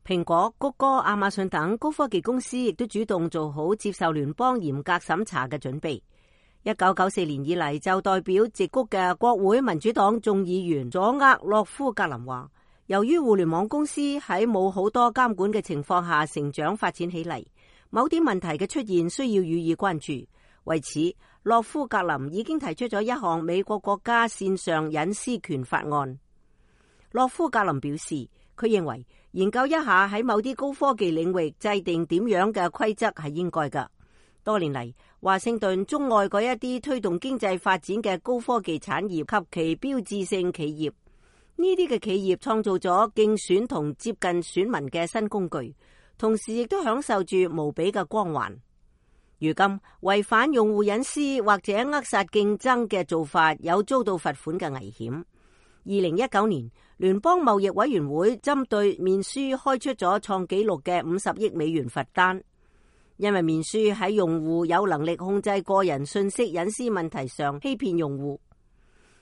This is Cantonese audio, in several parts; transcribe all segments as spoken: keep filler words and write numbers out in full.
蘋果、谷歌、亞馬遜等高科技公司亦都主動做好接受聯邦嚴格審查嘅準備。一九九四年以嚟，就代表矽谷嘅國會民主黨眾議員佐厄洛夫格林話，由於互聯網公司喺冇好多監管嘅情況下成長發展起嚟，某啲問題嘅出現需要予以關注。為此，洛夫格林已經提出咗一項美國國家線上隱私權法案。洛夫格林表示，佢認為研究一下喺某啲高科技領域制定點樣嘅規則係應該㗎。多年嚟，華盛頓鍾愛嗰一啲推動經濟發展嘅高科技產業及其標誌性企業，呢啲嘅企業創造咗競選同接近選民嘅新工具，同時亦都享受住無比嘅光環。如今違反用戶隱私或者扼殺競爭嘅做法有遭到罰款嘅危險。二零一九年，聯邦貿易委員會針對面書開出咗創紀錄嘅五十億美元罰單，因為面書喺用戶有能力控制個人信息隱私問題上欺騙用戶。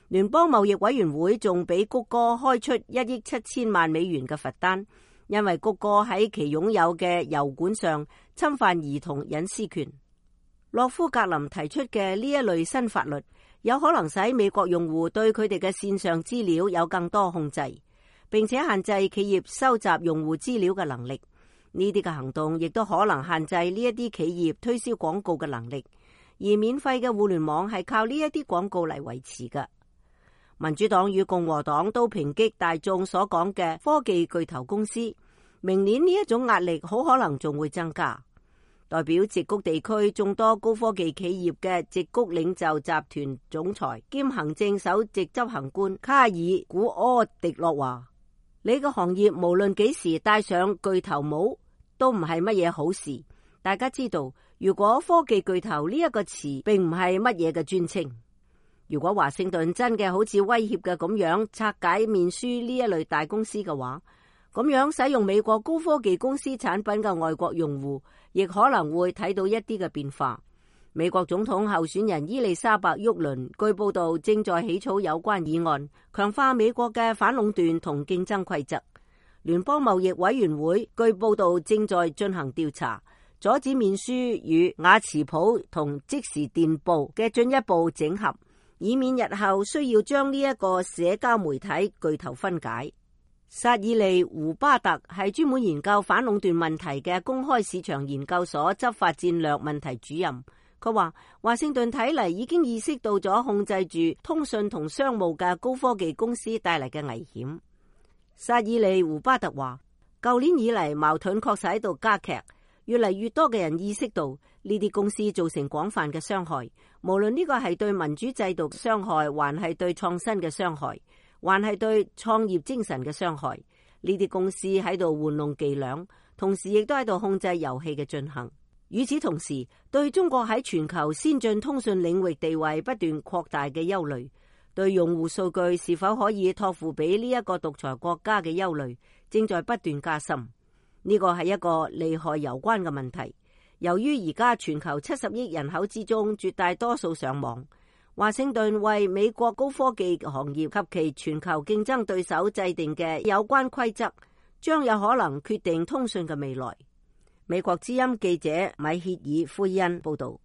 聯邦貿易委員會仲俾谷歌開出一億七千萬美元嘅罰單，因為谷歌喺其擁有嘅油管上侵犯兒童隱私權。洛夫格林提出嘅呢一類新法律，有可能使美國用戶對佢哋嘅線上資料有更多控制，並且限制企業收集用戶資料嘅能力。呢啲嘅行動亦都可能限制呢一啲企業推銷廣告嘅能力，而免費嘅互聯網係靠呢一啲廣告嚟維持嘅。民主黨與共和黨都抨擊大眾所講嘅科技巨頭公司，明年呢一種壓力好可能仲會增加。代表矽谷地區眾多高科技企業嘅矽谷領袖集團總裁兼行政首席執行官卡爾古柯迪諾話：你個行業無論幾時戴上巨頭帽都唔係乜嘢好事。大家知道，如果科技巨頭呢一個詞並唔係乜嘢嘅尊稱，如果華盛頓真嘅好似威脅嘅咁樣拆解面書呢一類大公司嘅話，咁樣使用美國高科技公司產品嘅外國用戶，亦可能會睇到一啲嘅變化。美國總統候選人伊麗莎白沃倫據報道正在起草有關議案，強化美國嘅反壟斷同競爭規則。聯邦貿易委員會據報道正在進行調查，阻止面書與雅詞普同即時電報嘅進一步整合，以免日後需要將呢一個社交媒體巨頭分解。薩爾利胡巴特係專門研究反壟斷問題嘅公開市場研究所執法戰略問題主任。佢話華盛頓睇嚟已經意識到咗控制住通訊同商務嘅高科技公司帶嚟嘅危險。薩爾利胡巴特話，舊年以嚟矛盾確實喺度加劇，越嚟越多嘅人意識到呢啲公司造成廣泛嘅傷害，無論呢個係對民主制度傷害，還係對創新嘅傷害，還係對創業精神嘅傷害。呢啲公司喺度玩弄伎倆，同時亦都喺度控制遊戲嘅進行。與此同時，對中國喺全球先進通訊領域地位不斷擴大嘅憂慮，對用戶數據是否可以託付俾呢一個獨裁國家嘅憂慮，正在不斷加深。呢個係一個利害攸關嘅問題。由於而家全球七十億人口之中絕大多數上網，華盛頓為美國高科技行業及其全球競爭對手制定嘅有關規則，將有可能決定通訊嘅未來。美國之音記者米歇爾·奎恩報道。